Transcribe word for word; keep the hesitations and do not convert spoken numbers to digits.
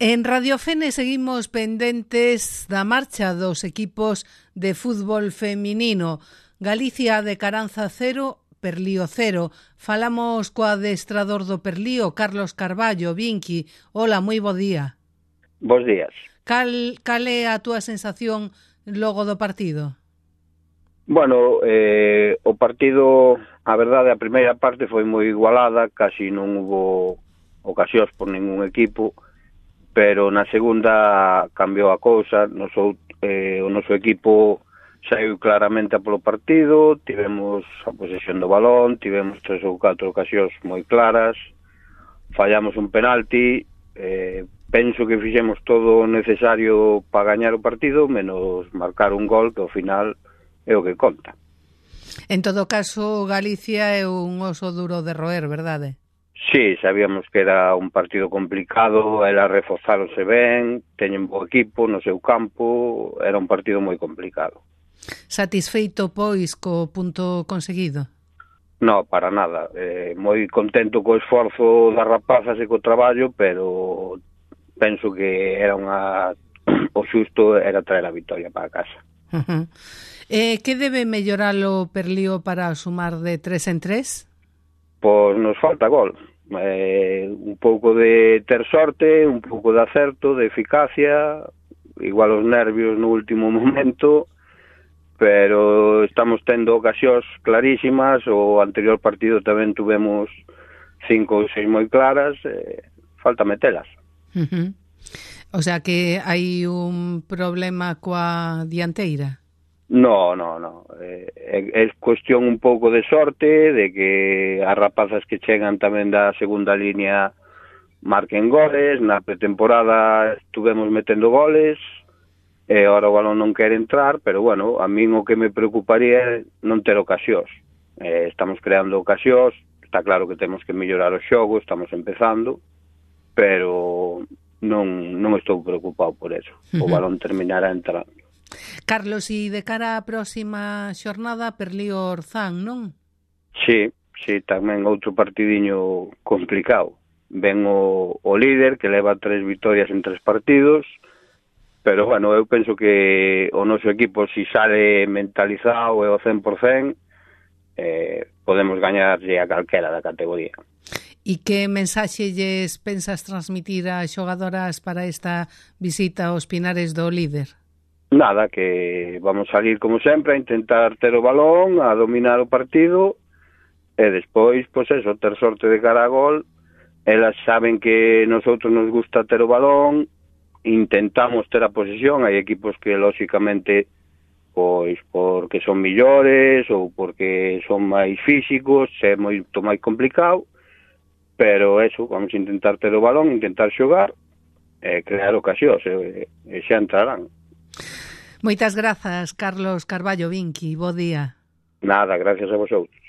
En Radio Fene seguimos pendentes da marcha dos equipos de fútbol feminino. Galicia de Caranza cero, Perlío cero. Falamos co adestrador do Perlío, Carlos Carballo. Vinqui, hola, moi bo día. Bos días. Cal, cal é a túa sensación logo do partido? Bueno, eh, o partido, a verdade, a primeira parte foi moi igualada, casi non hubo ocasións por ningún equipo, pero na segunda cambiou a cousa. Noso, eh, o noso equipo saiu claramente a polo partido, tivemos a posesión do balón, tivemos tres ou catro ocasións moi claras, fallamos un penalti, eh, penso que fixemos todo o necesario para gañar o partido, menos marcar un gol que ao final é o que conta. En todo caso, Galicia é un oso duro de roer, verdade? Sí, sabíamos que era un partido complicado, era reforzáronse ben, teñen bo equipo no seu campo, era un partido moi complicado. Satisfeito, pois, co punto conseguido? No, para nada. Eh, moi contento co esforzo das rapazas e co traballo, pero penso que era unha o xusto era traer a vitoria para casa. Uh-huh. Eh, que debe mellorar o Perlío para sumar de tres en tres? Pois nos falta gol. Eh, un pouco de ter sorte, un pouco de acerto, de eficacia, igual os nervios no último momento, pero estamos tendo ocasións clarísimas. O anterior partido tamén tuvemos cinco ou seis moi claras, eh, falta metelas. Uh-huh. O sea que hai un problema coa dianteira? No, no, no. Eh, é, é cuestión un pouco de sorte, de que as rapazas que chegan tamén da segunda línea marquen goles. Na pretemporada estuvemos metendo goles, e agora o balón non quere entrar, pero bueno, a min o que me preocuparía é non ter ocasións. Eh, estamos creando ocasións, está claro que temos que mellorar o xogo, estamos empezando, pero non, non estou preocupado por eso. O balón terminará entrando. Carlos, e de cara á próxima xornada, Perlío Orzán, non? Sí, sí, tamén outro partidiño complicado. Ven o, o líder, que leva tres vitorias en tres partidos, pero, bueno, eu penso que o noso equipo, si sale mentalizado e ao cen por cen, eh, podemos gañarlle a calquera da categoría. E que mensaxe lles pensas transmitir ás xogadoras para esta visita aos Pinares do líder? Nada, que vamos a salir como sempre a intentar ter o balón, a dominar o partido, e despois, pois eso, ter sorte de cara a gol. Elas saben que nosotros nos gusta ter o balón, intentamos ter a posesión. Hai equipos que, lóxicamente, pois porque son millores ou porque son máis físicos, é moito máis complicado, pero eso, vamos a intentar ter o balón, intentar xogar, e crear ocasións, e, e xa entrarán. Moitas grazas, Carlos Carballo Vinqui. Bo día. Nada, gracias a vosotros.